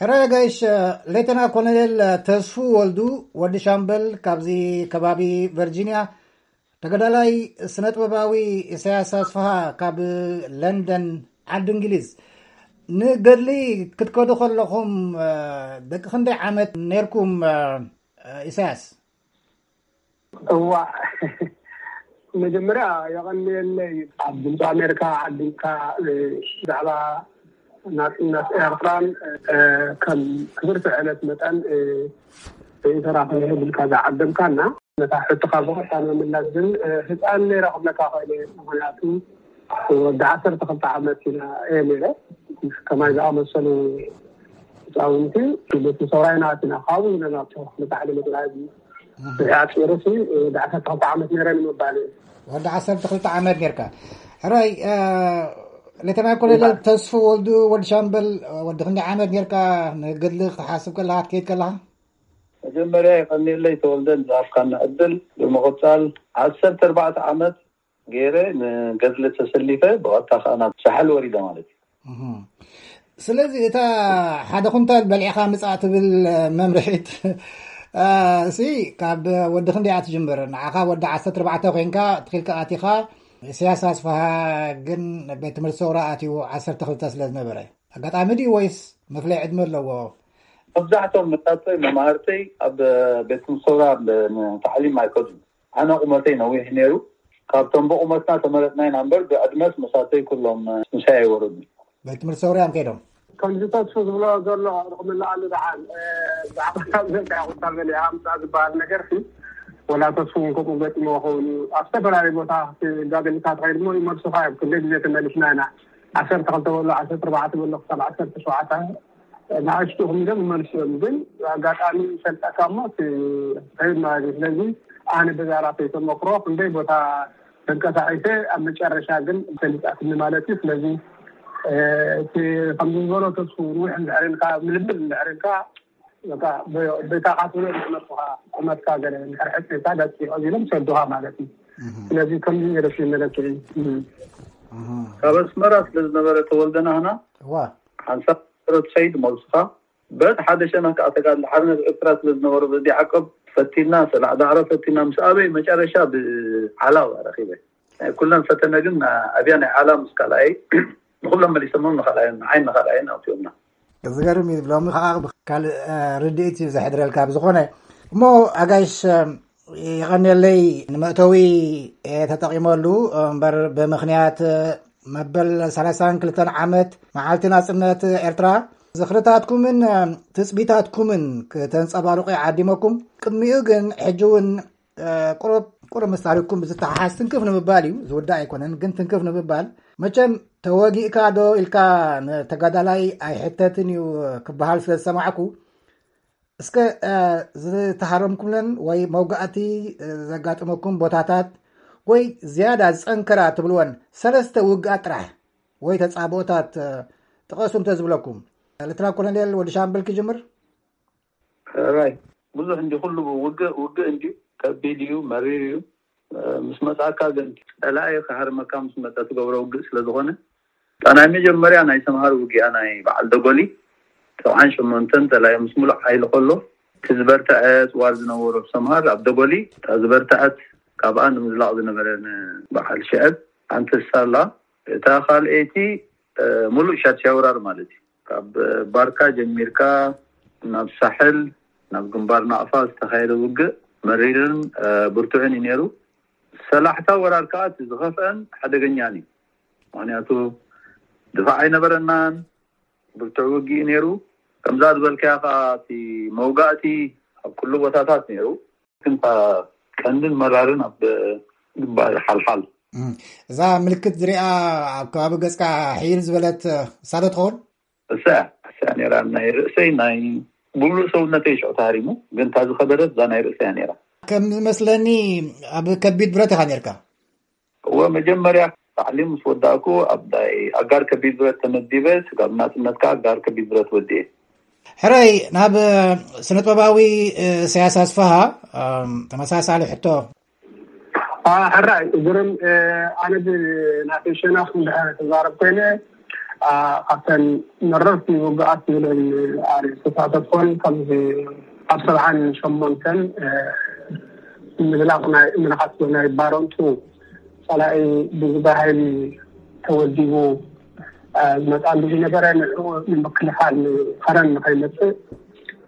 ሕራይ ኣጋይሽ፣ ሌተና ኮሎኔል ተስፉ ወልዱ፣ ወዲ ሻምበል፣ ካብዚ ከባቢ ቨርጂንያ፣ ተጋዳላይ ስነ ጥበባዊ ኢሳያስ ኣስፍሃ ካብ ለንደን፣ ዓዲ እንግሊዝ። ንገድሊ ክትከዱ ከለኹም ደቂ ክንደይ ዓመት ነርኩም? ኢሳያስ። እዋ፣ መጀመርያ የቐንየለይ ኣብ ድምፂ ኣሜሪካ ዓዲምካ ብዛዕባ ናፅነት ኤርትራን ከም ክብርቲ ዕለት መጠን ኢንተራኸ ብልካ ዝዓደምካና። ነታ ሕቶኻ ብቐጥታ ንምምላስ ግን ህፃን ነይረ ክብለካ ክእል እየ። ምክንያቱ ወዲ ዓሰርተ ክልተ ዓመት ኢና እየ ነይረ። ከማይ ዝኣመሰሉ ህፃውንቲ ቤት ሰውራይ ናትና ካብኡ ኢና ናብቲ ክፍሊ ታዕሊም ጥራይ ኣፂሩሲ ወዲ ዓሰርተ ክልተ ዓመት ነይረ ንምባል እዩ። ወዲ ዓሰርተ ክልተ ዓመት ነርካ። ሕራይ ሌተና ኮሎኔል ተስፉ ወልዱ፣ ወዲ ሻምበል፣ ወዲ ክንደይ ዓመት ነርካ ንገድሊ ክትሓስብ ከለካ ክትከይድ ከለካ? መጀመርያ የቐንየለይ ተወልደ ንዝሃብካና ዕድል። ብምቕፃል ዓሰርተ ኣርባዕተ ዓመት ገይረ ንገድሊ ተሰሊፈ ብቐጥታ ከዓ ናብ ሳሕል ወሪደ ማለት እዩ። ስለዚ እታ ሓደ ኩንታል በሊዕኻ ምፃእ ትብል መምርሒት እሲ ካብ ወዲ ክንደይ እያ ትጅምር? ንዓኻ ወዲ ዓሰርተ ኣርባዕተ ኮይንካ ትኺልካ ኣቲኻ፣ ኢሳያስ ኣስፍሃ ግን ቤት ትምህርቲ ሰውራ ኣትዩ ዓሰርተ ክልተ ስለ ዝነበረ ኣጋጣሚ ድዩ ወይስ መፍለይ ዕድመ ኣለዎ? መብዛሕቶም መታተይ መማህርተይ ኣብ ቤት ትምህርቲ ሰውራ ታዕሊም ኣይከዱን። ኣነ ቁመተይ ነዊሕ ነይሩ። ካብቶም ብቁመትና ተመረጥና ኢና እምበር ብዕድመስ መሳተይ ኩሎም ምሳይ ኣይወረዱን። ቤት ትምህርቲ ሰውራ እዮም ከይዶም። ከምዚ ተስፉ ዝብሎ ዘሎ ክምልኣሉ ደሓን ብዛዕባ ዘርጋያ ቁንታል በሊዓ ምፃእ ዝበሃል ነገር ወላ ተስፉ እውን ከምኡ ገጢሞ ክኸውን እዩ። ኣብ ዝተፈላለዩ ቦታ ክትጋደልካ ትኸይድ እሞ ይመልሱካ እዮም። ክንደይ ግዜ ተመሊስና ኢና። ዓሰርተ ክልተ በሎ ዓሰርተ ኣርባዕተ በሎ ክሳብ ዓሰርተ ሸውዓተ ንኣሽቱ ክምደም ይመልሱ እዮም። ግን ኣጋጣሚ ይፈልጠካ እሞ ትኸይድ ማለት እዩ። ስለዚ ኣነ በዛ ራሰይ ተመክሮ ክንደይ ቦታ ተንቀሳቂሰ ኣብ መጨረሻ ግን ፈሊጣትኒ ማለት እዩ። ስለዚ እቲ ከምዚ ዝበሎ ተስፉ ንውሕ እንድሕር ኢልካ ምልምል እንድሕር ኢልካ በታ ካትብሎ ዝመፅኻ ቁመትካ ገለ እንድሕር ሕፅርካ ደቂቕ ኢሎም ሰዱኻ ማለት እዩ። ስለዚ ከምዚ ገለ ሽመለክዒ ካብ ኣስመራ ስለ ዝነበረ ተወልደ ናህና እዋ ሓንሳብ ትኸይድ መልስኻ በት ሓደ ሸነኽ ከዓ ተጋድሎ ሓርነት ኤርትራ ስለ ዝነበሩ በዚ ዓቀብ ፈቲና ሰላዕ ዳዕሮ ፈቲና ምስ ኣበይ መጨረሻ ብዓላዋ ረኺበ ናይ ኩለን ፈተነ ግን ኣብያ ናይ ዓላ ምስ ካልኣይ ንኩሎም መሊሶሞም ንካልኣይ ንዓይ ንካልኣይ ኣውፅኦምና። ዝገርም እዩ። ሎሚ ከዓ ካልእ ርድኢት እዩ ዘሕድረልካ። ብዝኾነ እሞ ኣጋይሽ የቐንየለይ ንመእተዊ ተጠቒመሉ እምበር ብምኽንያት መበል ሰላሳን ክልተን ዓመት መዓልቲ ናጽነት ኤርትራ ዝኽርታትኩምን ትጽቢታትኩምን ክተንጸባርቑ ይዓዲመኩም። ቅድሚኡ ግን ሕጂ እውን ቁሩብ ቁሩብ ምስ ታሪኽኩም ብዝተሓሓዝ ትንክፍ ንምባል እዩ። ዝውዳእ ኣይኮነን ግን ትንክፍ ንምባል መቸም ተወጊእካ ዶ ኢልካ ንተጋዳላይ ኣይሕተትን እዩ ክበሃል ስለ ዝሰማዕኩ እስከ ዝተሃረምኩምለን ወይ መውጋእቲ ዘጋጥመኩም ቦታታት ወይ ዝያዳ ዝጸንከራ ትብልወን ሰለስተ ውግኣት ጥራሕ ወይ ተጻብኦታት ጥቐሱ እንተዝብለኩም። ሌተና ኮሎኔል ወዲ ሻምበል ክጅምር። ሕራይ ብዙሕ እንዲ ኩሉ ውግእ ውግእ እንዲ ከቢድ እዩ መሪር እዩ። ምስ መጻካ ግን ጸላኢ ክሃርመካ ምስ መጸ ትገብሮ ውግእ ስለ ዝኾነ እታ ናይ መጀመርያ ናይ ሰምሃር ውግኣ ናይ በዓል ደጎሊ ሰብዓን ሸሞንተን ጸላኢ ምስ ሙሉእ ሓይሊ ከሎ እቲ ዝበርተዐ ጽዋር ዝነበሮ ሰምሃር ኣብ ደጎሊ እታ ዝበርተዐት ካብኣ ንምዝላቕ ዝነበረ ንበዓል ሽዕብ ሓንቲ ሳላ እታ ካልኤቲ ሙሉእ ሻድሻይ ወራር ማለት እዩ። ካብ ባርካ ጀሚርካ ናብ ሳሕል ናብ ግንባር ናቕፋ ዝተኻየደ ውግእ መሪርን ብርቱዕን እዩ ነይሩ። ሰላሕታ ወራር ከዓ እቲ ዝኸፍአን ሓደገኛን እዩ። ምክንያቱ ድፋዕ ኣይነበረናን ብርቱዕ ውግእ እዩ ነይሩ። ከምዛ ዝበልካያ ከዓ እቲ መውጋእቲ ኣብ ኩሉ ቦታታት ነይሩ። ግን ቀንድን መራርን ኣብ ግንባር ሓልሓል እዛ ምልክት ዝሪኣ ኣብ ከባቢ ገፅካ ሕይል ዝበለት እሳ ዶ ትኸውን? እሳ እሳ ነራ ናይ ርእሰይ ናይ ሙሉእ ሰውነተይ ሽዑ ተሃሪሙ ግን እታ ዝኸበደት እዛ ናይ ርእሰያ ነራ። ከም ዝመስለኒ ኣብ ከቢድ ብረት ኢኻ ነርካ። እወ መጀመርያ ታዕሊም ምስ ወዳእኩ ኣብ ናይ ኣጋር ከቢድ ብረት ተመዲበ ስጋብ ናፅነት ከዓ ኣጋር ከቢድ ብረት ወዲኤ። ሕራይ ናብ ስነጥበባዊ ኢሳያስ ኣስፍሃ ተመሳሳሊ ሕቶ። ሕራይ ግርም ኣነ ብናተይ ሸነኽ እንድሕር ክዛረብ ኮይነ ካብተን መረርቲ ውግኣት ዝብለን ኣርእስታት ኮን ከም ኣብ ሰብዓን ሸሞንተን ምዝላቕ ናይ ምንኻት ናይ ባረንቱ ጸላኢ ብዝባሃይሊ ተወዲቡ ዝመጻሉ ዝነበረ ንዕኡ ንምክልኻል ከረን ንኸይመጽእ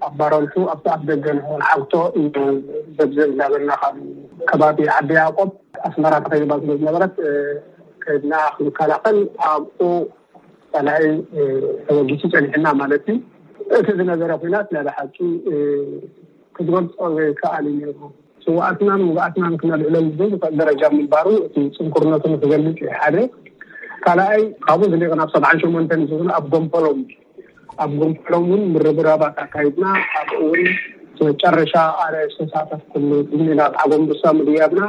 ኣብ ባረንቱ ኣብቲ ኣፍ ደገ ንኸውን ዓግቶ ዘብዘብ እናበልና ካብ ከባቢ ዓዲ ያዕቆብ ኣስመራ ተኸይባ ስለ ዝነበረት ከድና ክንከላኸል ኣብኡ ጸላኢ ተወጊሱ ጸኒሕና ማለት እዩ። እቲ ዝነበረ ኩናት ናይ ብሓቂ ክትገልጾ ዘይከኣል እዩ ነይሩ። ስውኣትናን ውግኣትናን ክነልዕለሉ ዘይንኽእል ደረጃ ምንባሩ እቲ ጽንኩርነቱ ንክገልጽ እዩ ሓደ። ካልኣይ ካብኡ ዝሊቕ ናብ ሰብዓን ሸሞንተን ዝብሉ ኣብ ጎንፈሎም ኣብ ጎንፈሎም እውን ምርብራባት ኣካይድና ኣብኡ እውን መጨረሻ ኣረ ዝተሳተፍኩሉ ድሚና ኣብ ዓጎምብሳ ምድያብና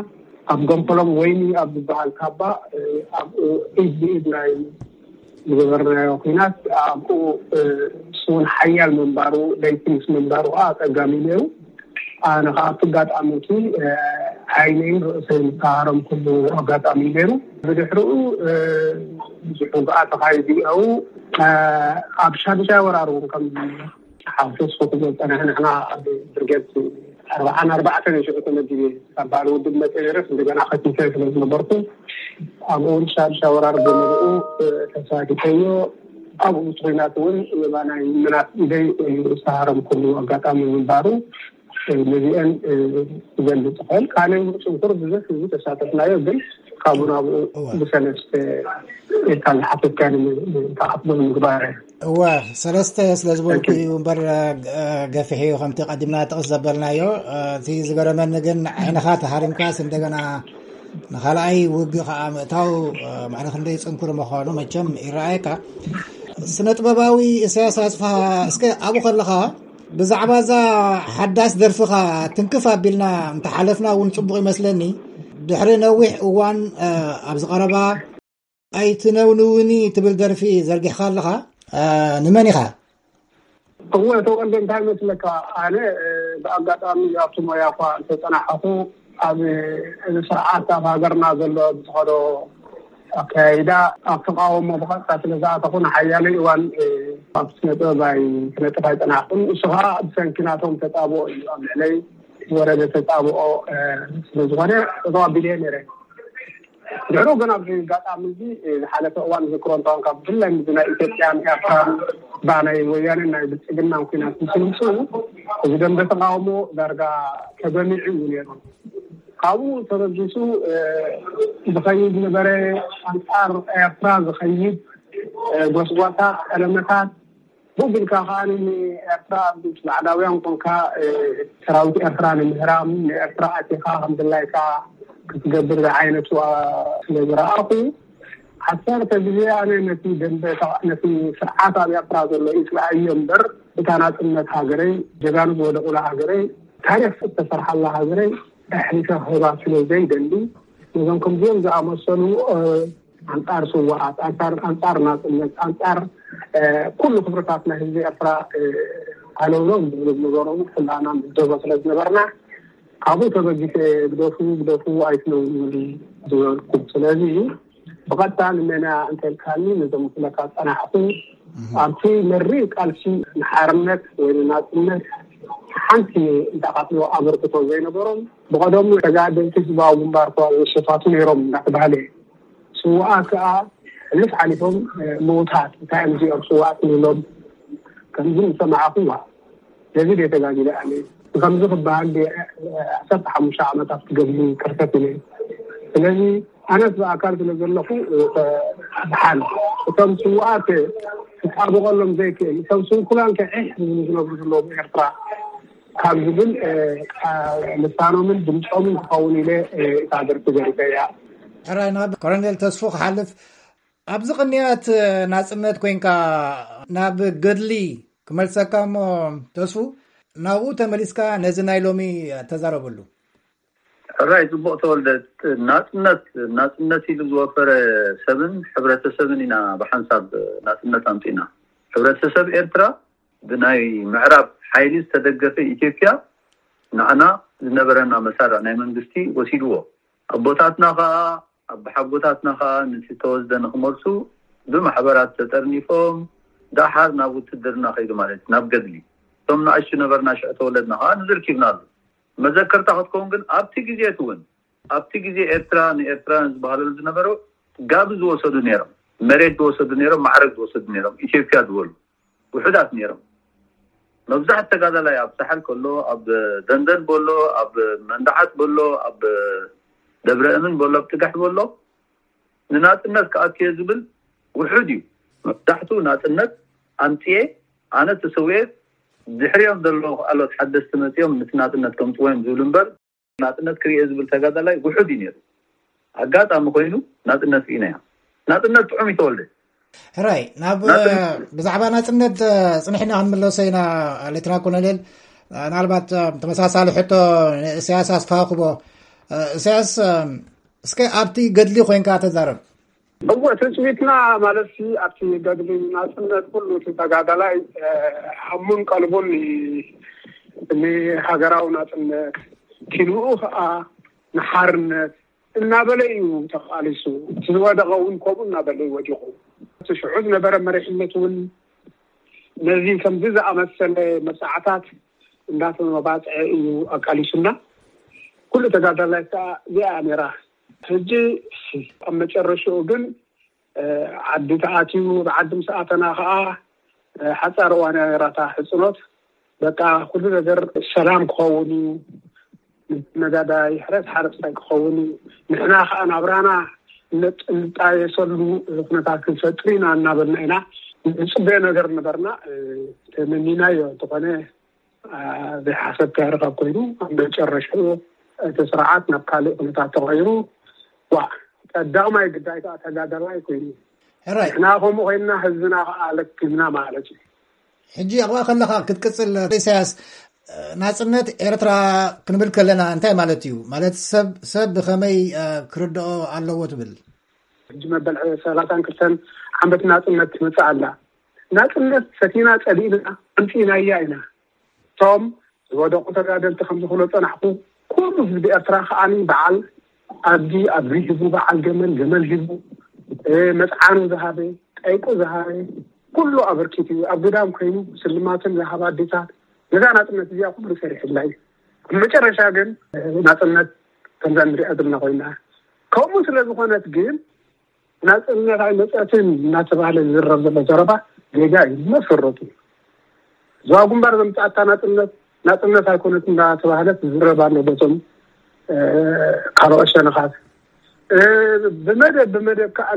ኣብ ጎንፈሎም ወይኒ ኣብ ዝበሃል ካባ ኣብኡ ኢድ ብኢድ ናይ ዝገበርናዮ ኩናት ኣብኡ እሱ እውን ሓያል ምንባሩ ለይቲ ምስ ምንባሩ ከዓ ኣፀጋሚ ነይሩ። ኣነ ከዓ ኣብቲ ኣጋጣሚ እቲ ዓይነይን ርእሰይን ዝተሃረምኩሉ ኣጋጣሚ ነይሩ። ብድሕሪኡ ብዙሕ ውግኣት ተኻይዱ እዩ። ኣብ ሻድሻይ ወራር እውን ከም ሓፍስ ክብሎ ዝፀናሕና ሕና ኣብ ብርጌድ ኣርባዓን ኣርባዕተን ሽዑ ተመዲበ ካብ በዓል ውድብ መፀ ነረስ እንደገና ከቲተ ስለ ዝነበርኩ ኣብኡ እውን ሻድሻ ወራር ብምልኡ ተሳቲፈዮ። ኣብኡ ምስ ኩናት እውን የማናይ ምናት ኢደይ ዝተሃረምኩሉ ኣጋጣሚ ምንባሩ ነዚአን ክገልፅ ይኽእል። ካልእ እውን ፅንኩር ብዙሕ ህዝቢ ተሳተፍናዮ ግን ካብኡ ናብኡ ብሰለስተ ኢልካ ዝሓተትካኒ ንክኣክሎ ንምግባር። እወ ሰለስተ ስለ ዝበልኩ እዩ እምበር ገፊሕ እዩ ከምቲ ቀዲምና ጥቕስ ዘበልናዮ። እቲ ዝገረመኒ ግን ዓይንኻ ተሃሪምካስ እንደገና ንኻልኣይ ውግእ ከዓ ምእታው ማዕረ ክንደይ ፅንኩር ምዃኑ መቸም ይረኣየካ። ስነ ጥበባዊ እሰያስ ኣስፍሃ እስከ ኣብኡ ከለኻ ብዛዕባ እዛ ሓዳስ ደርፍኻ ትንክፍ ኣቢልና እንተሓለፍና እውን ፅቡቕ ይመስለኒ። ድሕሪ ነዊሕ እዋን ኣብዚ ቀረባ ኣይትነውንውኒ ትብል ደርፊ ዘርጊሕካ ኣለኻ። ንመን ኢኻ? እወ ተወልደ እንታይ መስለካ ኣነ ብኣጋጣሚ ኣብቲ ሞያ እኳ እንተፀናሓኹ ኣብ እዚ ስርዓት ኣብ ሃገርና ዘሎ ብዝኸዶ ኣካያይዳ ኣብ ተቃውሞ ብቐጥታ ስለ ዝኣተኹ ንሓያለይ እዋን ኣብ ስነ ጥበብ ኣይ ክነጥፍ ኣይፀናሕኩን። እሱ ከዓ ብሰንኪ ናቶም ተፃብኦ እዩ ኣብ ልዕለይ ዝወረደ ተፃብኦ ስለ ዝኾነ ጠጠው ኣቢለ ነይረ። ድሕሩ ግን ኣብዚ ኣጋጣሚ እዚ ዝሓለፈ እዋን ዝክሮ እንተኾንካ ብፍላይ ምስ ናይ ኢትዮጵያን ኤርትራን ባናይ ወያኔን ናይ ብልፅግናን ኩናት ምስ ምፅኡ እዚ ደንበ ተቃውሞ ዳርጋ ተገሚዑ እዩ ነይሩ። ካብኡ ተበጊሱ ዝኸይድ ነበረ ኣንፃር ኤርትራ ዝኸይድ ጎስጓሳ ቀለመታት ብኡ ቢልካ ከዓ ንኤርትራ ምስ ባዕዳውያን ኮንካ ሰራዊት ኤርትራ ንምህራም ንኤርትራ ኣቲኻ ከምድላይካ ክትገብር ዝዓይነቱ ስለ ዝረኣኹ ዓሰርተ ግዜ ኣነ ነቲ ደንበ ነቲ ስርዓት ኣብ ኤርትራ ዘሎ ይፅልኣዮ እምበር እታ ናፅነት ሃገረይ ጀጋኑ ዝወደቑላ ሃገረይ ታሪክ ዝተሰርሓላ ሃገረይ ኣሕሊፈ ክህባ ስለ ዘይደሊ ነዞም ከምዚኦም ዝኣመሰሉ ኣንጻር ስውኣት ኣንጻር ኣንጻር ናጽነት ኣንጻር ኩሉ ክብርታት ናይ ህዝቢ ኤርትራ ኣለውሎም ዝብሉ ዝነበሮም ኩላና ምደቦ ስለ ዝነበርና ካብኡ ተበጊሰ ግደፉ ግደፉ ኣይትነውንሉ ዝበልኩ ስለዚ ብቐጥታ ንመና እንተልካኒ ነዞም ክለካ ጸናሕኩ ኣብቲ መሪር ቃልሲ ንሓርነት ወይ ንናጽነት ሓንቲ እንተኣኻትሎ ኣበርክቶ ዘይነበሮም ብቐደሙ ተጋደልቲ ህዝባዊ ግንባር ከ ዝሸፋቱ ነይሮም እንዳተባህለ እዩ። ስውኣት ከኣ ሕሉፍ ሓሊፎም ምውታት እንታይ እዮም እዚኦም ስውኣት ንብሎም ከምዚ ዝሰማዕኹዋ ነዚ ድየ ተጋጊለ ኣነ ንከምዚ ክበሃል ድየ ዓሰርተ ሓሙሽተ ዓመት ኣብቲ ገድሊ ከርተት ኢለ ስለዚ ኣነስ ብኣካል ስለ ዘለኹ ብሓል እቶም ስውኣት ክጣበቐሎም ዘይክእል እቶም ስንኩላን ከ ዒሕ ዝብሉ ዝነብሩ ዘለዉ ብኤርትራ ካብ ዝብል ልሳኖምን ድምፆምን ክኸውን ኢለ እታ ደርፊ ገሪፈያ። ሕራይ ናብ ኮሎኔል ተስፉ ክሓልፍ ኣብዚ ቅንያት ናፅነት ኮይንካ ናብ ገድሊ ክመልሰካ እሞ ተስፉ ናብኡ ተመሊስካ ነዚ ናይ ሎሚ ተዛረበሉ። ሕራይ ፅቡቕ ተወልደ ናፅነት ናፅነት ኢሉ ዝወፈረ ሰብን ሕብረተሰብን ኢና ብሓንሳብ ናፅነት ኣምፂና ሕብረተሰብ ኤርትራ ብናይ ምዕራብ ሓይሊ ዝተደገፈ ኢትዮጵያ ንዓና ዝነበረና መሳርዕ ናይ መንግስቲ ወሲድዎ ኣቦታትና ከኣ ኣቦሓጎታትና ከኣ ነቲ ዝተወስደ ንክመልሱ ብማሕበራት ተጠርኒፎም ደሓር ናብ ውትድርና ከይዱ ማለት እዩ፣ ናብ ገድሊ። እቶም ንኣሽቱ ነበርና ሽዑ ተወለድና ከዓ ንዝርኪብና ኣሎ። መዘከርታ ክትከውን ግን ኣብቲ ግዜ እቲ እውን ኣብቲ ግዜ ኤርትራ ንኤርትራውያን ዝበሃለሉ ዝነበሩ ጋብ ዝወሰዱ ነይሮም፣ መሬት ዝወሰዱ ነይሮም፣ ማዕረግ ዝወሰዱ ነይሮም፣ ኢትዮጵያ ዝበሉ ውሑዳት ነይሮም። መብዛሕት ተጋዳላይ ኣብ ሳሕል ከሎ፣ ኣብ ደንደን በሎ፣ ኣብ መንደዓት በሎ፣ ኣብ ደብረ እምን በሎ፣ ኣብ ጥጋሕ በሎ ንናጽነት ክኣክየ ዝብል ውሑድ እዩ። መብዛሕቱ ናጽነት ኣምጽኤ ኣነ ተሰውየ ድሕሪኦም ዘለዉ ካልኦት ሓደስቲ መጺኦም ነቲ ናጽነት ከምጽዎ እዮም ዝብሉ እምበር ናጽነት ክርእየ ዝብል ተጋዳላይ ውሑድ እዩ ነይሩ። ኣጋጣሚ ኮይኑ ናጽነት ርኢናያ። ናጽነት ጥዑም ይተወልደ። ሕራይ ናብ ናጽነት ብዛዕባ ናጽነት ጽንሕና ክንምለሶ ኢና። ሌትና ኮሎኔል፣ ምናልባት ተመሳሳሊ ሕቶ ንእስያስ ኣስፋ ክቦ። እሳያስ፣ እስከ ኣብቲ ገድሊ ኮይንካ ተዛረብ። እወ፣ ትጽቢትና ማለት ኣብቲ ገድሊ ናጽነት ኩሉ እቲ ተጋዳላይ ሃሙን ቀልቡን ንሃገራዊ ናጽነት፣ ኪንኡ ከዓ ንሓርነት እናበለ እዩ ተቃሊሱ። እቲ ዝወደቐ እውን ከምኡ እናበለ እዩ ወዲቑ። እቲ ሽዑ ዝነበረ መሪሕነት እውን ነዚ ከምዚ ዝኣመሰለ መብዛዕታት እንዳተመባፅዐ እዩ ኣቃሊሱና። ኩሉ ተጋዳላይ ከዓ እዚኣ እያ ነይራ። ሕጂ ኣብ መጨረሽኡ ግን ዓዲ ተኣትዩ፣ ብዓዲ ምስ ኣተና ከዓ ሓፃር እዋን እያ ነይራታ ሕፅኖት። በቃ ኩሉ ነገር ሰላም ክኸውን እዩ፣ ነጋዳይ ሕረስ ሓረስታይ ክኸውን እዩ፣ ንሕና ከዓ ናብራና ንጣየሰሉ ኩነታት ክንፈጥር ኢና እናበልና ኢና ንፅበዮ ነገር ነበርና። ተመኒናዮ እንተኾነ ዘይሓሰብካዮ ርኸብ ኮይኑ ኣብ መጨረሽኡ እቲ ስርዓት ናብ ካልእ ኩነታት ተቐይሩ። ዋ ቀዳማይ ግዳይ ከዓ ተጋዳላይ ኮይኑ ሕራይ ንሕና ከምኡ ኮይንና ህዝብና ከዓ ለኪምና ማለት እዩ። ሕጂ ኣብኣ ከለኻ ክትቅፅል ኢሳያስ፣ ናፅነት ኤርትራ ክንብል ከለና እንታይ ማለት እዩ? ማለት ሰብ ሰብ ብኸመይ ክርድኦ ኣለዎ ትብል? ሕጂ መበል ሰላሳን ክልተን ዓመት ናፅነት ትመፅእ ኣላ። ናፅነት ፈቲና ፀሊእና ኣምፂእናያ ኢና። እቶም ዝወደቁ ተጋደልቲ ከም ዝኽሎ ፀናሕኩ ኩሉ ህዝቢ ኤርትራ ከዓኒ በዓል ኣድጊ ኣድጊ ሂቡ፣ በዓል ገመል ገመል ሂቡ፣ መፅዓኑ ዝሃበ፣ ጠይቁ ዝሃበ፣ ኩሉ ኣበርኪቱ እዩ። ኣብ ግዳም ኮይኑ ስልማትን ዝሃባ ኣዴታት ነዛ ናፅነት እዚኣ ኩሉ ሰሪሕላ እዩ። ኣብ መጨረሻ ግን ናፅነት ከምዛ ንሪኣ ዘለና ኮይና። ከምኡ ስለ ዝኾነት ግን ናፅነት ኣይመፀትን እናተባህለ ዝዝረብ ዘሎ ዘረባ ጌጋ እዩ። መሰረቱ ዞባ ግንባር ዘምፅኣታ ናፅነት ናፅነት ኣይኮነት እናተባህለት ዝዝረብ ኣሎ በቶም ካልኦት ሸነኻት። ብመደብ ብመደብ ከዓ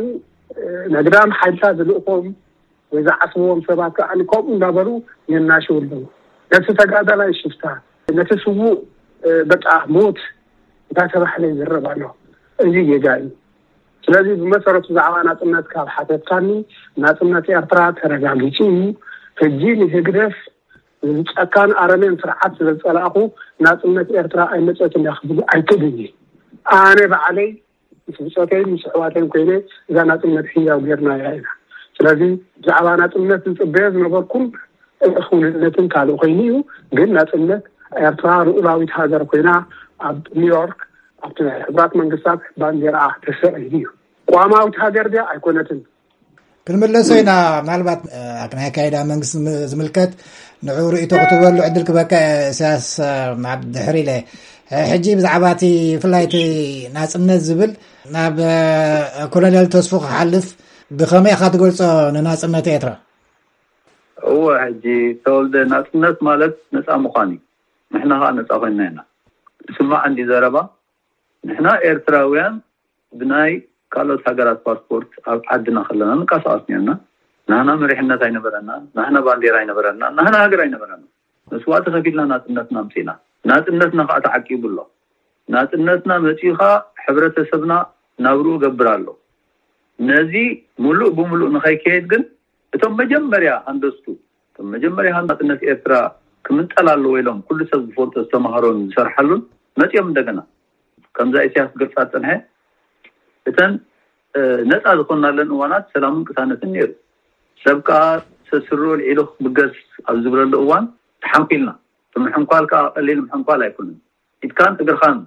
ነግዳም ሓይልታት ዝልእኾም ወይ ዝዓስብዎም ሰባት ከዓ ከምኡ እንዳበሉ የናሽው ኣለዉ። ነቲ ተጋዳላይ ሽፍታ፣ ነቲ ስዉእ በቃ ሞት እንዳተባህለ ይዝረብ ኣሎ። እዚ ጌጋ እዩ። ስለዚ ብመሰረቱ ብዛዕባ ናፅነት ካብ ሓተትካኒ፣ ናፅነት ኤርትራ ተረጋጊፁ እዩ። ሕጂ ንህግደፍ ጨካን ኣረሜን ስርዓት ስለ ዝፀላእኹ ናፅነት ኤርትራ ኣይመፀትን እያ ክብል ኣይክእልን እየ። ኣነ ባዕለይ ምስ ብፆተይን ምስ ኣሕዋተይን ኮይነ እዛ ናፅነት ህያው ጌርናያ ኢና። ስለዚ ብዛዕባ ናፅነት ዝፅበዮ ዝነበርኩን ክውንነትን ካልእ ኮይኑ እዩ። ግን ናፅነት ኤርትራ ልኡላዊት ሃገር ኮይና ኣብ ኒውዮርክ ኣብቲ ናይ ሕቡራት መንግስታት ባንዴራ ተሰቒሉ እዩ። ቋማዊት ሃገር ድያ ኣይኮነትን። ክንምለሶ ኢና። ምናልባት ኣብቲ ናይ ኣካይዳ መንግስቲ ዝምልከት ንዑ ርእይቶ ክትበሉ ዕድል ክበካ እሳያስ ናብ ድሕሪ ኢለ። ሕጂ ብዛዕባ እቲ ብፍላይ እቲ ናፅነት ዝብል ናብ ኮሎኔል ተስፉ ክሓልፍ፣ ብኸመይ ኢኻ ትገልፆ ንናፅነት ኤርትራ? እወ ሕጂ ተወልደ ናፅነት ማለት ነፃ ምዃን እዩ። ንሕና ከዓ ነፃ ኮይንና ኢና። ስማዕ እንዲ ዘረባ ንሕና ኤርትራውያን ብናይ ካልኦት ሃገራት ፓስፖርት ኣብ ዓድና ከለና ንቀሳቀስ ነርና። ናህና መሪሕነት ኣይነበረና፣ ናህና ባንዴራ ኣይነበረና፣ ናህና ሃገር ኣይነበረና። መስዋእቲ ከፊልና ናፅነትና ኣምፂእና። ናፅነትና ከዓ ተዓቂቡ ኣሎ። ናፅነትና መፂኡ ከዓ ሕብረተሰብና ናብርኡ ገብር ኣሎ። ነዚ ሙሉእ ብሙሉእ ንኸይከየድ ግን እቶም መጀመርያ ሃንደስቱ እቶም መጀመርያ ናፅነት ኤርትራ ክምንጠል ኣለዎ ኢሎም ኩሉ ሰብ ዝፈልጦ ዝተማሃሮን ዝሰርሓሉን መፂኦም እንደገና ከምዛ ኢሳያስ ዝገልፃ ዝፀንሐ እተን ነፃ ዝኾናለን እዋናት ሰላምን ቅሳነትን ነይሩ። ሰብ ከዓ ሰስሩ ልዒሉ ክብገስ ኣብ ዝብለሉ እዋን ተሓንኲልና። እቲ ምሕንኳል ከዓ ቀሊል ምሕንኳል ኣይኮነን። ኢድካን እግርኻን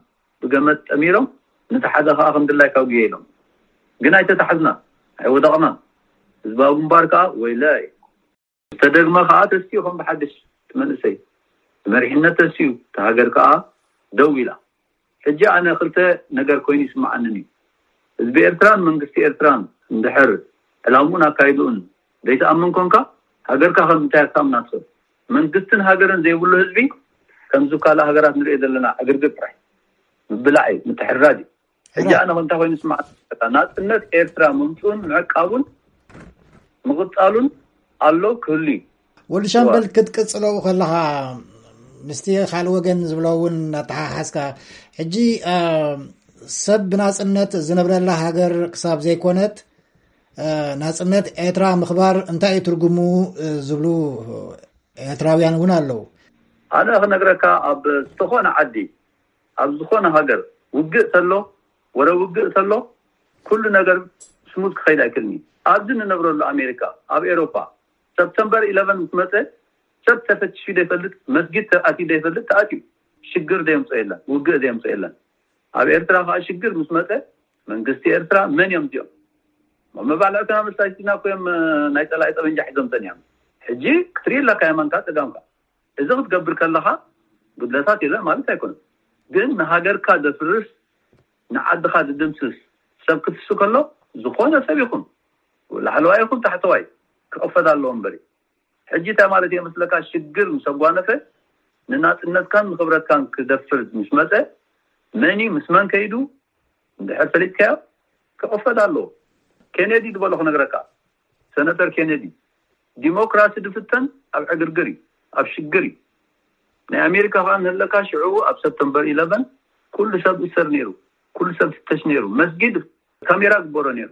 ብገመድ ጠሚሮም ነቲ ሓደ ከዓ ከም ድላይካ ጉየ ኢሎም። ግን ኣይተታሕዝና፣ ኣይወደቕናን። ህዝባዊ ግንባር ከዓ ወይለ ዝተደግመ ከዓ ተስኡ ከም ብሓድሽ ትመንእሰይ መሪሕነት ተስኡ ተሃገር ከዓ ደው ኢላ። ሕጂ ኣነ ክልተ ነገር ኮይኑ ይስምዓንን እዩ። ህዝቢ ኤርትራን መንግስቲ ኤርትራን እንድሕር ዕላምኡን ኣካይድኡን ዘይተኣምን ኮንካ፣ ሃገርካ ከም እንታይ ክትኣምና ትኽእል? መንግስትን ሃገርን ዘይብሉ ህዝቢ ከምዚ ካልእ ሃገራት ንሪኦ ዘለና ዕግርግር ጥራይ ምብላዕ እዩ፣ ምትሕርራድ እዩ። ሕጂ ኣነ እንታይ ኮይኑ ይስምዓኒ? ናጽነት ኤርትራ ምምፅኡን ምዕቃቡን ምቕጻሉን ኣሎ ክህሉ እዩ። ወዲ ሻምበል ክትቅጽለው ከለኻ ምስቲ ካልእ ወገን ዝብሎ እውን ኣተሓሓዝካ ሕጂ ሰብ ብናጽነት ዝነብረላ ሃገር ክሳብ ዘይኮነት ናጽነት ኤርትራ ምኽባር እንታይ እዩ ትርጉሙ ዝብሉ ኤርትራውያን እውን ኣለዉ። ኣነ ክነግረካ ኣብ ዝኾነ ዓዲ ኣብ ዝኾነ ሃገር ውግእ ተሎ ወረ ውግእ ተሎ ኩሉ ነገር ስሙዝ ክኸይድ ኣይክልኒ። ኣብዚ ንነብረሉ ኣሜሪካ ኣብ ኤሮፓ ሰፕተምበር ኢለቨን ምስ መፀ ሰብ ተፈትሹ ዘይፈልጥ መስጊድ ተኣትዩ ዘይፈልጥ ተኣትዩ ሽግር ዘየምፅኦ የለን፣ ውግእ ዘየምፅኦ የለን። ኣብ ኤርትራ ከዓ ሽግር ምስ መፀ መንግስቲ ኤርትራ መን እዮም እዚኦም? መባልዕትና መሳጅድና እኮ እዮም ናይ ፀላኢ ጠበንጃ ሒዞም ፀኒሖም። ሕጂ ክትርኢ ኣለካ የማንካ ፀጋምካ እዚ ክትገብር ከለኻ ጉድለታት የለን ማለት ኣይኮነን። ግን ንሃገርካ ዘፍርስ ንዓድኻ ዝድምስስ ሰብ ክትሱ ከሎ ዝኾነ ሰብ ይኹን ላዕለዋይ ይኹን ታሕተዋይ ክቐፈድ ኣለዎ እምበሪ። ሕጂ እንታይ ማለት እየ መስለካ ሽግር ምስ ኣጓነፈ ንናፅነትካን ንክብረትካን ክደፍር ምስ መፀ መን እዩ ምስ መን ከይዱ እንድሕር ፈሊጥካዮ ክቐፈድ ኣለዎ። ኬኔዲ ዝበሎ ክነግረካ ሰነተር ኬኔዲ ዲሞክራሲ ዝፍተን ኣብ ዕግርግር እዩ፣ ኣብ ሽግር እዩ። ናይ ኣሜሪካ ከዓ እንህለካ ሽዑ ኣብ ሰፕተምበር ኢለቨን ኩሉ ሰብ እሰር ነይሩ፣ ኩሉ ሰብ ፍተሽ ነይሩ፣ መስጊድ ካሜራ ግበሮ ነይሩ።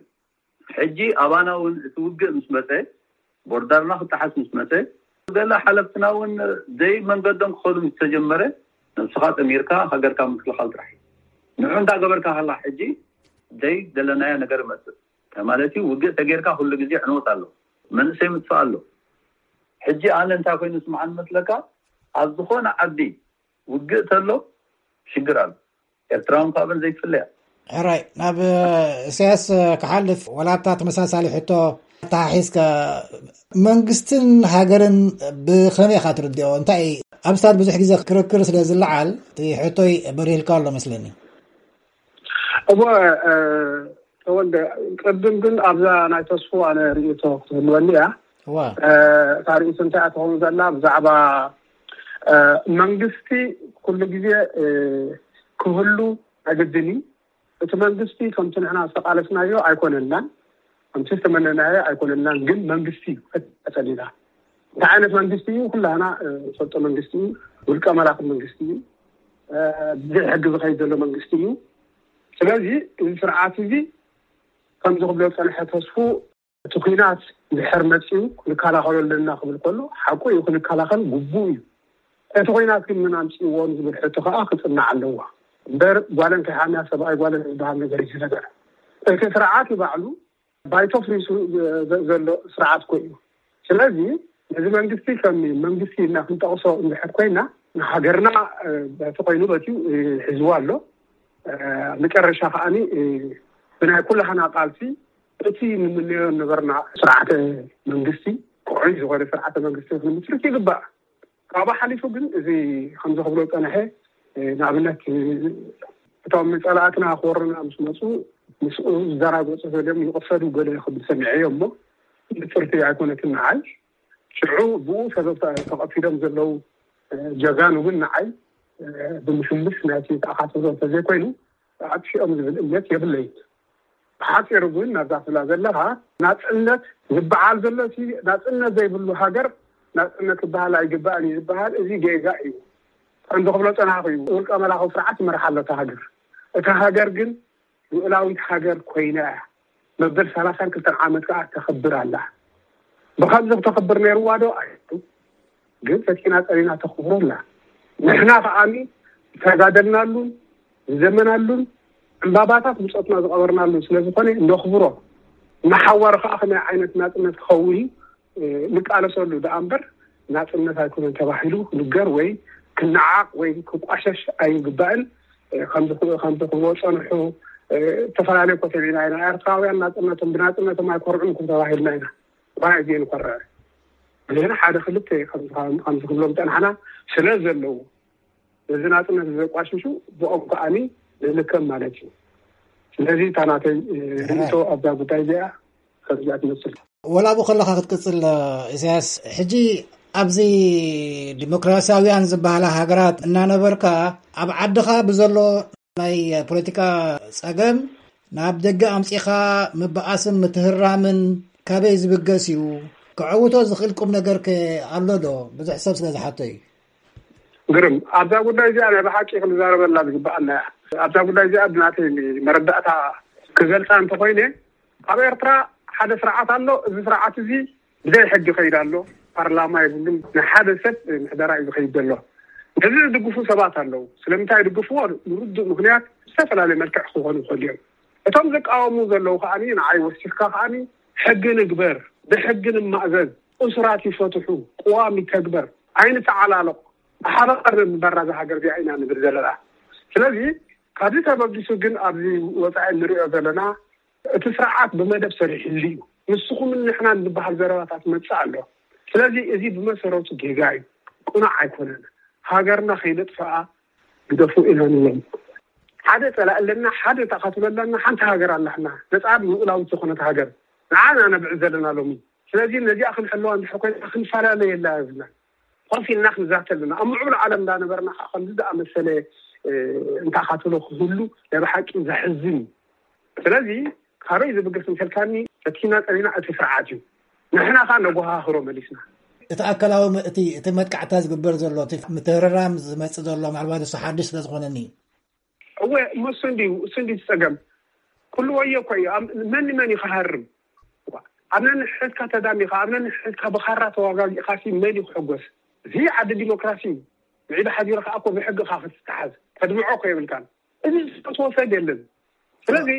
ሕጂ ኣባና እውን እቲ ውግእ ምስ መፀ ቦርዳርና ክጠሓስ ምስ መፀ ገለ ሓለፍትና እውን ዘይ መንገዶም ክኸዱ ምስ ተጀመረ ነብስኻ ጠሚርካ ሃገርካ ምክልኻል ጥራሕ እዩ። ንዑ እንዳገበርካ ከላ ሕጂ ዘይ ዘለናዮ ነገር ይመፅእ። ማለት እዩ ውግእ ተጌርካ ኩሉ ግዜ ዕንወት ኣሎ፣ መንእሰይ ምጥፋእ ኣሎ። ሕጂ ኣነ እንታይ ኮይኑ ስምዓን መስለካ ኣብ ዝኾነ ዓዲ ውግእ ተሎ ሽግር ኣሎ። ኤርትራውን ካብን ዘይትፍለያ። ሕራይ ናብ እሰያስ ክሓልፍ ወላታ ተመሳሳሊ ሕቶ ተሓሒዝካ መንግስትን ሃገርን ብኸመይ ኢኻ ትርድኦ? እንታይ ኣብ ስታት ብዙሕ ግዜ ክርክር ስለ ዝለዓል እቲ ሕቶይ በሪህልካ ኣሎ መስለኒ። እሞ ተወልደ ቅድም ግን ኣብዛ ናይ ተስፉ ኣነ ርእቶ ክትህልወኒ እያ። እዋ እታ ርእቶ እንታይ እያ ትኸውን ዘላ ብዛዕባ መንግስቲ ኩሉ ግዜ ክህሉ ኣገድን እዩ። እቲ መንግስቲ ከምቲ ንሕና ዝተቃለስናዮ ኣይኮነናን፣ ከምቲ ዝተመነናዮ ኣይኮነናን። ግን መንግስቲ እዩ ተጸሊና። እንታይ ዓይነት መንግስቲ እዩ? ኩላህና ንፈልጦ መንግስቲ እዩ። ውልቀ መላኺ መንግስቲ እዩ። ብዘይ ሕጊ ዝኸይድ ዘሎ መንግስቲ እዩ። ስለዚ እዚ ስርዓት እዚ ከምዚ ክብሎ ዝጸንሐ ተስፉ እቲ ኩናት ድሕር መጺኡ ክንከላኸሎ ኣለና ክብል ከሎ ሓቁ እዩ፣ ክንከላኸል ግቡእ እዩ። እቲ ኩናት ግን መን ኣምጺእዎ ንዝብል ሕቶ ከኣ ክጽናዕ ኣለዎ እምበር ጓለን ከይሓምያ ሰብኣይ ጓለን ዝበሃል ነገር እዩ ነገር። እቲ ስርዓት ንባዕሉ ባይቶ ፍሪሱ ዘሎ ስርዓት እኮ እዩ። ስለዚ ነዚ መንግስቲ ከም መንግስቲ ኢልና ክንጠቕሶ እንድሕር ኮይና ንሃገርና በቲ ኮይኑ በትዩ ሒዝዋ ኣሎ። መጨረሻ ከዓኒ ብናይ ኩላህና ቃልሲ እቲ ንምነዮ ነበርና ስርዓተ መንግስቲ ክዑይ ዝኾነ ስርዓተ መንግስቲ ክንምስርት ይግባእ። ካብኡ ሓሊፉ ግን እዚ ከምዚ ክብሎ ዝፀንሐ ንኣብነት እቶም ፀላእትና ክወሩና ምስ መፁ ምስኡ ዝደራገፁ ገሊኦም ይቕፈዱ ገለ ክብል ሰሚዐዮ እሞ ንፅርቲ ኣይኮነትን ንዓይ። ሽዑ ብኡ ሰበብ ተቐቲሎም ዘለዉ ጀጋኑ ግን ንዓይ ብምስልስ ናይቲ ተኣኻተሎ እንተዘይኮይኑ ኣጥፊኦም ዝብል እምነት የብለይን። ብሓፂሩ ግን ናብዛ ትብላ ዘለኻ ናፅነት ዝበዓል ዘሎ እቲ ናፅነት ዘይብሉ ሃገር ናፅነት ክበሃል ኣይግባእን እዩ ዝበሃል እዚ ጌጋ እዩ። ከምዚ ክብሎ ፀናሕኩ እዩ። ውልቀ መላኻዊ ስርዓት ይመርሓ ኣሎ እታ ሃገር። እታ ሃገር ግን ልኡላዊት ሃገር ኮይና እያ። መበል ሰላሳን ክልተን ዓመት ከዓ ተኸብር ኣላ። ብኸምዚ ክተኸብር ነይርዋ ዶ? ኣይኮነን። ግን ፈቲና ፀኒና ተኽብሮ ኣላ። ንሕና ከዓኒ ዝተጋደልናሉን ዝዘመናሉን ዕምባባታት ብፆትና ዝቐበርናሉን ስለ ዝኾነ ነኽብሮ። ንሓዋሩ ከዓ ከመይ ዓይነት ናፅነት ክኸውን እዩ ንቃለሰሉ ደኣ እምበር ናፅነት ኣይኮነን ተባሂሉ ክንገር ወይ ክነዓቕ ወይ ክቋሸሽ ኣይግባእን። ከምዚ ክብሎ ፀንሑ። ዝተፈላለዩ ኮተቤና ኢና ኤርትራውያን ናፅነቶም ብናፅነቶም ኣይኮርዑን ክም ተባሂልና ኢና። ባይ ዜ ንኮርዕ ብዜና ሓደ ክልተ ከምዚ ክብሎም ጸናሕና ስለ ዘለዉ ነዚ ናጽነት ዘቋሽሹ ብኦም ከኣኒ ንልከም ማለት እዩ። ስለዚ እታ ናተይ ርእቶ ኣብዛ ጉዳይ እዚኣ ከምዚኣ ትመስል። ወላ ብኡ ከለኻ ክትቅጽል ኢሳያስ፣ ሕጂ ኣብዚ ዲሞክራሲያውያን ዝበሃላ ሃገራት እናነበርካ ኣብ ዓድኻ ብዘሎ ናይ ፖለቲካ ጸገም ናብ ደገ ኣምጺኻ ምብኣስን ምትህራምን ካበይ ዝብገስ እዩ? ክዕውቶ ዝኽእል ቁም ነገር ከ ኣሎ ዶ? ብዙሕ ሰብ ስለ ዝሓቶ እዩ። ግርም፣ ኣብዛ ጉዳይ እዚኣ ናይ ብሓቂ ክንዛረበላ ዝግብኣና እያ። ኣብዛ ጉዳይ እዚኣ ብናተይ መረዳእታ ክገልጻ እንተኾይነ፣ ኣብ ኤርትራ ሓደ ስርዓት ኣሎ። እዚ ስርዓት እዚ ብዘይ ሕጊ ይኸይድ ኣሎ። ፓርላማ የብሉን። ናይ ሓደ ሰብ ምሕደራ እዩ ዝኸይድ ዘሎ። ነዚ ዝድግፉ ሰባት ኣለዉ። ስለምንታይ ይድግፍዎ? ንርዱእ ምኽንያት ብዝተፈላለየ መልክዕ ክኾኑ ይኽእሉ እዮም። እቶም ዝቃወሙ ዘለዉ ከኣኒ ንዓይ ወሲኽካ ከኣኒ ሕጊ ንግበር፣ ብሕጊ ንማእዘዝ፣ እሱራት ይፈትሑ፣ ቅዋም ይተግበር፣ ኣይንተዓላለቕ፣ ብሓባር ንምንባር ናዛ ሃገር እዚኣ ኢና ንብል ዘለና። ስለዚ ካብዚ ተበጊሱ ግን ኣብዚ ወጻኢ ንሪኦ ዘለና እቲ ስርዓት ብመደብ ሰሪሕሉ እዩ። ንስኹምን ንሕናን ዝበሃል ዘረባታት መጽእ ኣሎ። ስለዚ እዚ ብመሰረቱ ጌጋ እዩ፣ ቅኑዕ ኣይኮነን። ሃገርና ከይነጥፍኣ ግደፉ ኢና ንብሎም። ሓደ ጸላኢ ኣለና፣ ሓደ ተኻትሎ ኣለና፣ ሓንቲ ሃገር ኣላትና፣ ነጻ ልኡላዊት ዝኾነት ሃገር ንዓ ኢና ነብዕል ዘለና ሎሚ። ስለዚ ነዚኣ ክንሕልዋ እንድሕር ኮይና ክንፈላለየላ የብልናን። ኮፍ ኢልና ክንዛተ ኣለና። ኣብ ምዕቡል ዓለም እንዳነበርና ከዓ ከምዚ ዝኣመሰለ እንተኻትሎ ክህሉ ናይ ብሓቂ ዘሕዝን እዩ። ስለዚ ካበይ ዝብገስ እንተልካኒ፣ ፈቲና ጸኒና እቲ ስርዓት እዩ። ንሕና ከዓ ነጎሃህሮ መሊስና። እቲ ኣካላዊ ም-፣ እቲ፣ እቲ መጥቃዕታ ዝግበር ዘሎ፣ እቲ ምትህርራም ዝመጽእ ዘሎ፣ ምናልባት እሱ ሓድሽ ስለ ዝኾነኒ እዩ። እወ፣ እሞ እሱ እንድዩ፣ እሱ እንድዩ እቲ ጸገም። ኩሉ ወዮ እኮ እዩ። ኣብ-፣ መን ንመን እዩ ክሃርም? ኣብ ነንሕድካ ተዳሚኻ፣ ኣብ ነንሕድካ ብኻራ ተዋጋጊእኻሲ መን እዩ ክሕጎስ? እዚ ዓዲ ዲሞክራሲ እዩ። ምዒዳ ሓዲርካ እኮ ብሕጊ ኢኻ ክትተሓዝ። ተድምዖ እኮ የብልካን። እዚ ዝፈትዎ ሰብ የለን። ስለዚ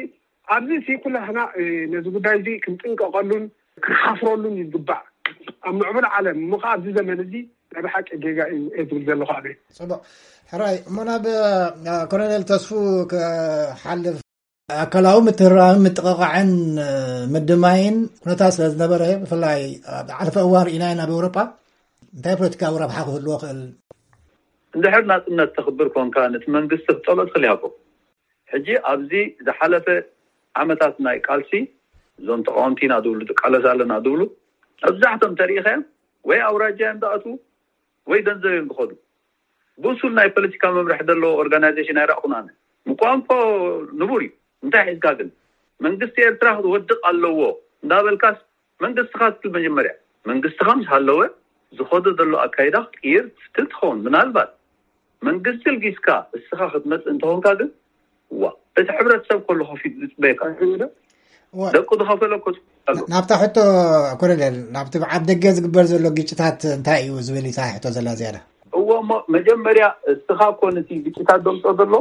ኣብዚ ሲ ኩላህና፣ እ፣ ነዚ ጉዳይ እዚ ክንጥንቀቐሉን ክንሓፍረሉን ይግባእ። ኣብ ምዕቡል ዓለም እሞ ኸዓ ኣብዚ ዘመን እዚ ናይ ብሓቂ ጌጋ እዩ እየ ዝብል ዘለኹ ኣነ። ጽቡቕ። ሕራይ፣ እሞ ናብ፣ እ፣ ኮሎኔል ተስፉ ክሓልፍ፣ ኣካላዊ ምትህርራምን ምጥቕቓዕን፣ እ፣ ምድማይን ኩነታት ስለ ዝነበረ፣ ብፍላይ ኣብ ዝሓለፈ እዋን ርኢና ኢና ኣብ ኤውሮጳ፣ እንታይ ፖለቲካዊ ረብሓ ክህልዎ ክእል? እንድሕር ናጽነት ተኽብር ኮንካ፣ ነቲ መንግስቲ ክትጸልኦ ትኽእል ኢኻ እኮ። ሕጂ ኣብዚ ዝሓለፈ ዓመታት ናይ ቃልሲ፣ እዞም ተቃወምቲ ኢና ዝብሉ፣ ትቃለስ ኣለና ዝብሉ፣ መብዛሕቶም ተሪኢኻዮም ወይ ኣውራጃ እዮም ዝኣትዉ ወይ ገንዘብ እዮም ዝኸዱ። ብሱል ናይ ፖለቲካ መምርሒ ዘለዎ ኦርጋናይዜሽን ኣይረኣኹን ኣነ። ምቋም እኮ ንቡር እዩ። እንታይ ሒዝካ ግን? መንግስቲ ኤርትራ ክወድቕ ኣለዎ እንዳበልካስ መንግስትኻ ትብል መጀመርያ። መንግስትኻ ምስ ሃለወ ዝኸዶ ዘሎ ኣካይዳ ክትቅይር ትፍትን ትኸውን። ምናልባት መንግስቲ ልጊስካ እስኻ ክትመጽእ እንተኾንካ ግን፣ ዋ፣ እቲ ሕብረተሰብ ከሎ ከፊቱ ዝጽበየካ። ዋ። ደቁ ዝኸፈለ እኮ ኣሎ። ናብታ ሕቶ ኮሎኔል፣ ናብቲ ኣብ ደገ ዝግበር ዘሎ ግጭታት እንታይ እዩ ዝብል እታ ሕቶ ዘላ ዝያዳ? እዎ፣ እሞ መጀመርያ እስኻ እኮ ነቲ ግጭታት ዘምጽኦ ዘሎ፣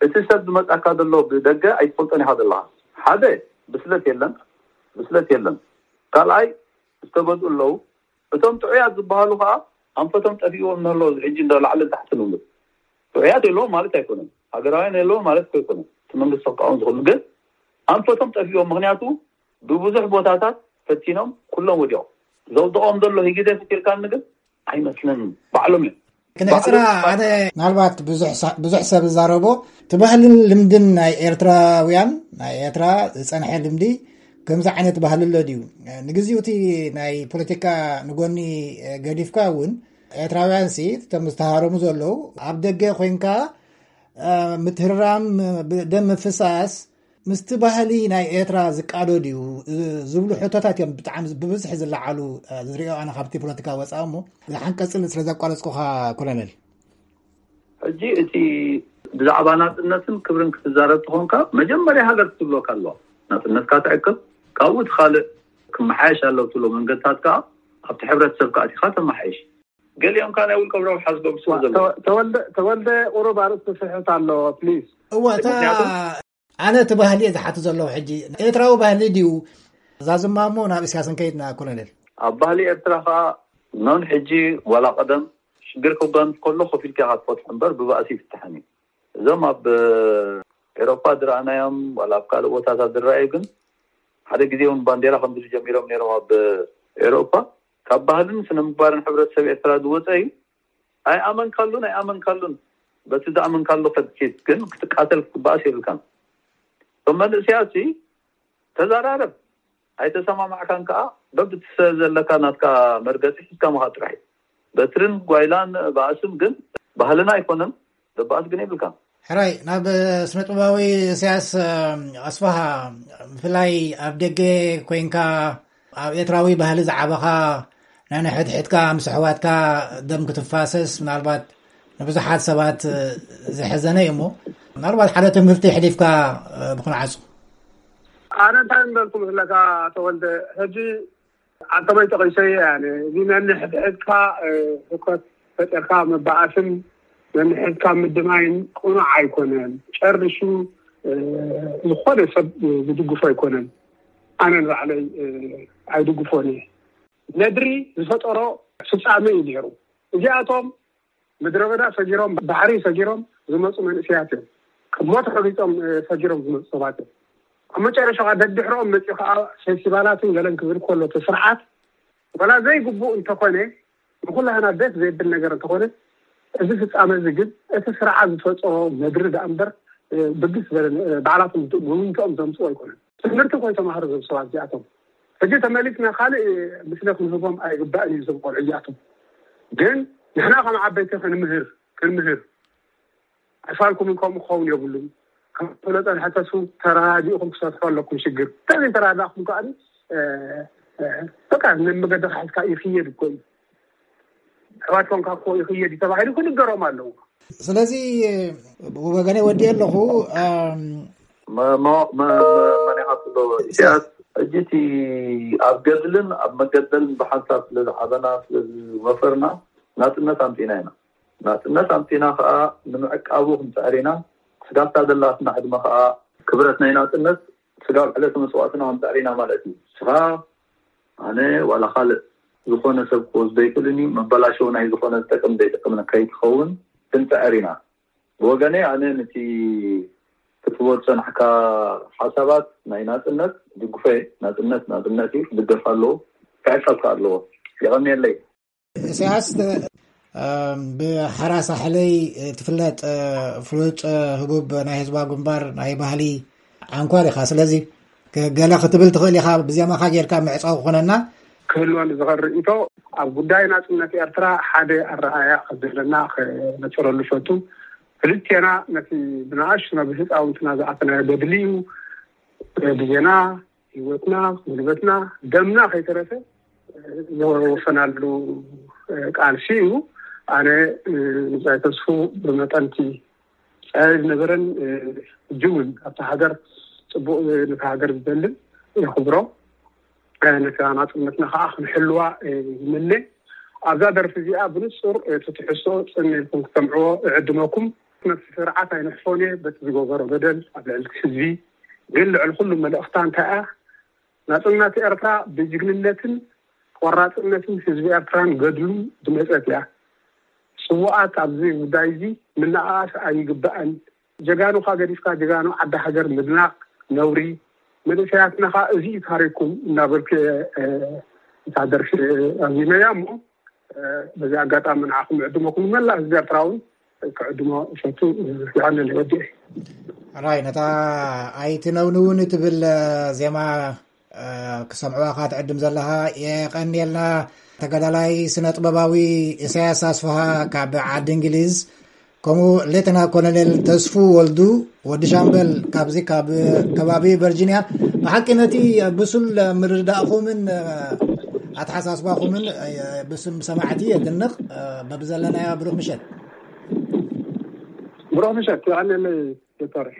እቲ ሰብ ዝመጻካ ዘሎ ብደገ ኣይትፈልጦን ኢኻ ዘለኻ። ሓደ፣ ብስለት የለን፣ ብስለት የለን። ካልኣይ፣ ዝተገዝኡ ኣለዉ። እቶም ጥዑያት ዝበሃሉ ከኣ ኣንፈቶም ጠፊእዎም እንህለዉ፣ እዚ ሕጂ እንዶ ላዕልን ታሕትን ይብሉ። ጥዑያት የለዎም ማለት ኣይኮነን። ሃገራውያን የለዎም ማለት እኮ ኣይኮነን። እቲ መንግስቲ ክቃወም ዝኽእሉ ግን ኣንፈቶም ጠፊእዎም። ምኽንያቱ ብብዙሕ ቦታታት ፈቲኖም ኩሎም ወዲቖም። ዘውድቖም ዘሎ ህግደፍ ኢልካኒ ግን ኣይመስለንን። ባዕሎም እዮም። ክንሕጽራ ባዕሎም ኣነ ምናልባት ብዙሕ ሳ-፣ ብዙሕ ሰብ ዝዛረቦ እቲ ባህልን ልምድን ናይ ኤርትራውያን፣ ናይ ኤርትራ ዝጸንሐ ልምዲ ከምዚ ዓይነት ባህሊ ኣሎ ድዩ? ንግዚኡ እቲ ናይ ፖለቲካ ንጎኒ ገዲፍካ እውን ኤርትራውያን ሲ እቶም ዝተሃረሙ ዘለዉ ኣብ ደገ ኮይንካ እ፣ ምትህርራም፣ ብ-፣ ደም ምፍሳስ ምስቲ ባህሊ ናይ ኤርትራ ዝቃዶ ድዩ? እ፣ ዝብሉ ሕቶታት እዮም ብጣዕሚ ብብዝሒ ዝለዓሉ፣ እ፣ ዝሪኦ ኣነ ካብቲ ፖለቲካ ወጻኢ እሞ። ዝሓን ቀጽል ስለ ዘቋረጽኩኻ ኮሎኔል። ሕጂ እቲ ብዛዕባ ናጽነትን ክብርን ክትዛረብ ተኾንካ፣ መጀመርያ ሃገር ክትብለካ ኣለዋ። ናጽነትካ ትዕቅብ፣ ካብኡ እቲ ካልእ ክመሓየሽ ኣለዎ ትብሎ መንገድታት ከኣ ኣብቲ ሕብረተሰብ ከኣ ኣቲኻ ተመሓይሽ። ገሊኦም ከኣ ናይ ውልቆም ረብሓ ዝገብሩ ስለ ዘለዉ። ተወ-፣ ተወልደ፣ ተወልደ ቁሩብ ኣርእስቲ ስሕት ኣሎ፣ ፕሊዝ። እወ፣ እታ ምኽንያቱ ኣነ እቲ ባህሊ እየ ዝሓትት ዘለኹ ሕጂ። ኤርትራዊ ባህሊ ድዩ? ዛዝማ እሞ ናብ እስያስ እንከይድና ኮሎኔል። ኣብ ባህሊ ኤርትራ ከኣ ኖን ሕጂ ዋላ ቀደም ሽግር ክጋንፍ ከሎ ኮፍ ኢልካ ኢኻ ትፈትሖ እምበር ብባእሲ ይፍታሕን እዩ። እዞም ኣብ ኤሮፓ ዝረኣናዮም ዋላ ኣብ ካልእ ቦታታት ዝረኣዩ ግን ሓደ ግዜ እውን ባንዴራ ከምዚ ጀሚሮም ነይሮም ኣብ ኤሮፓ ካብ ባህልን ስነ ምግባርን ሕብረተሰብ ኤርትራ ዝወፀ እዩ። ኣይኣመንካሉን ኣይኣመንካሉን፣ በቲ ዝኣመንካሉ ከድኪት ግን ክትቃተል ክትበኣስ የብልካን። እቶም መንእሰያት ተዛራረብ፣ ኣይተሰማማዕካን ከዓ በብቲ ዘለካ ናትካ መርገፂ ሒዝካ ምኻድ ጥራሕ እዩ። በትርን ጓይላን ባእስን ግን ባህልና ኣይኮነን፣ ደባኣስ ግን የብልካን። ሕራይ ናብ ስነ ጥበባዊ እሰያስ ኣስፋሃ፣ ብፍላይ ኣብ ደገ ኮይንካ ኣብ ኤርትራዊ ባህሊ ዝዓበኻ፣ ናይ ንሕድሕድካ ምስ ኣሕዋትካ ደም ክትፋሰስ ምናልባት ንብዙሓት ሰባት ዝሕዘነ እዩ እሞ፣ ምናልባት ሓደ ትምህርቲ የሕሊፍካ ብክንዓጹ። ኣነ እንታይ ምበልኩ መስለካ ተወልደ፣ ሕጂ ኣንተመይ ጠቒሰዮ እየ። እዚ ነንሕድሕድካ ህውከት ፈጢርካ ምባኣስን ነንሕድካ ምድማይን ቅኑዕ ኣይኮነን። ጨርሹ ዝኾነ ሰብ ዝድግፎ ኣይኮነን። ኣነ ንባዕለይ ኣይድግፎን እየ። ነድሪ ዝፈጠሮ ፍጻመ እዩ ነይሩ። እዚኣቶም ምድረ በዳ ሰጊሮም ባሕሪ ሰጊሮም ዝመፁ መንእሰያት እዮም። ክሞት ረጊፆም ሰጊሮም ዝመፁ ሰባት እዮም። ኣብ መጨረሻ ከዓ ደድሕሮም መፂኡ ከዓ ፌስቲቫላትን ገለን ክብል ከሎ እቲ ስርዓት ዋላ ዘይግቡእ እንተኾነ ንኩላህና ደስ ዘይብል ነገር እንተኾነ እዚ ፍጻመ እዚ ግን እቲ ስርዓት ዝፈጠሮ ነድሪ ደኣ እምበር ብግስ ዝበለ ባዕላቶም ውንተኦም ዘምፅኡ ኣይኮነን። ትምህርቲ እኮ ይተማሃሩ እዞም ሰባት እዚኣቶም። ሕጂ ተመሊስና ካልእ ምስለ ክንህቦም ኣይግባእን እዩ እዞም ቆልዑ እዚኣቶም። ግን ንሕና ከም ዓበይቲ ክንምህር ክንምህር ኣይፋልኩምን ከምኡ ክኸውን የብሉን። ከም ፍለጠ ንሕተሱ ተረዳዲእኹም ክሰትሑ ኣለኩም ሽግር። እንተዘይተረዳእኹም ከኣ በቃ ነመገዲ ክሕዝካ ይኽየድ እኮ እዩ። ኣሕዋት ኮንካ እኮ ይኽየድ እዩ ተባሂሉ ክንገሮም ኣለዎ። ስለዚ ብወገነይ ወዲኤ ኣለኹ። መን ኢኻ ትብሎ ኢሳያስ? ሕጂ እቲ ኣብ ገድልን ኣብ መገደልን ብሓንሳብ ስለ ዝዓበና ስለ ዝወፈርና ናጽነት ኣምጺና ኢና። ናጽነት ኣምጺና ከኣ ንምዕቃቡ ክንጽዕር ኢና። ስጋብታ ዘላትና ዕድመ ከኣ ክብረት ናይ ናጽነት ስጋብ ዕለተ መስዋእትና ክንጽዕር ኢና ማለት እዩ። ንስኻ ኣነ ዋላ ካልእ ዝኾነ ሰብ ክወስዶ ኣይክእልን እዩ። መበላሸዊ ናይ ዝኾነ ዝጠቅም ዘይጠቅም ከይትኸውን ክንጽዕር ኢና። ብወገነይ ኣነ ነቲ ክትቦ ዝጸናሕካ ሓሳባት ናይ ናጽነት ድግፎ እየ። ናጽነት ናጽነት እዩ፣ ክድገፍ ኣለዎ፣ ክዕቀብ ከኣ ኣለዎ። የቐንየለይ። ኢሳያስ ብሓራ ሳሕለይ ትፍለጥ ፍሉጥ ህቡብ ናይ ህዝባዊ ግንባር ናይ ባህሊ ዓንኳር ኢኻ። ስለዚ ገለ ክትብል ትኽእል ኢኻ፣ ብዜማኻ ጌርካ ምዕጻው ክኾነና። ክህልወኒ ዝኽእል ርእይቶ ኣብ ጉዳይ ናጽነት ኤርትራ ሓደ ኣረኣያ ከም ዘለና ክነጽረሉ ፈቱ። ክልቴና ነቲ ብንኣሽቱ ናብ ህፃውንትና ዝኣተናዮ ገድሊ እዩ። ግዜና፣ ህይወትና፣ ጉልበትና፣ ደምና ከይተረፈ ዘወፈናሉ ቃልሲ እዩ። ኣነ ንብጻይ ተስፉ ብመጠንቲ ጸረ ዝነበረን ሕጂ እውን ኣብታ ሃገር ጽቡቕ ነታ ሃገር ዝደልን የኽብሮ። ነታ ናጽነትና ከዓ ክንሕልዋ ይምነ። ኣብዛ ደርፊ እዚኣ ብንጹር እቲ ትሕዝቶ ጽን ኢልኩም ክሰምዕዎ እዕድመኩም። ነቲ ስርዓት ኣይንሕፎን እየ በቲ ዝገበሮ በደል ኣብ ልዕሊ ህዝቢ። ግን ልዕሊ ኩሉ መልእኽታ እንታይ እያ? ናጽነት ኤርትራ ብጅግንነትን ቆራጽነትን ህዝቢ ኤርትራን ገድሉን ዝመጸት እያ። ስዉኣት ኣብዚ ጉዳይ እዚ ምንኣኣስ ኣይግባእን። ጀጋኑኻ ገዲፍካ ጀጋኑ ዓዲ ሃገር ምድናቕ ነውሪ። መንእሰያትና ኸኣ እዚ እዩ ታሪኩም እናበልኩ እየ እታ ደርፊ ኣዚመያ እሞ በዚ ኣጋጣሚ ንዓኹም ዕድመኩም ንመላእ ህዝቢ ኤርትራ እውን ክዕድሞ እፈቱ። ይቐንል ወዲ። ራይ ነታ ኣይትነውንውን ትብል ዜማ ክሰምዕዋ ካ ትዕድም ዘለኻ የቐንየልና። ተጋዳላይ ስነ ጥበባዊ ኢሳያስ ኣስፍሃ ካብ ዓዲ እንግሊዝ፣ ከምኡ ሌተና ኮሎኔል ተስፉ ወልዱ ወዲ ሻምበል ካብዚ ካብ ከባቢ ቨርጂንያ። ብሓቂ ነቲ ብሱል ምርዳእኹምን ኣተሓሳስባኹምን ብስም ሰማዕቲ የድንቕ። በብዘለናዮ ብሩኽ ምሸት። ብሩኽ ምሸት። ይቐንየለይ ዶክተር።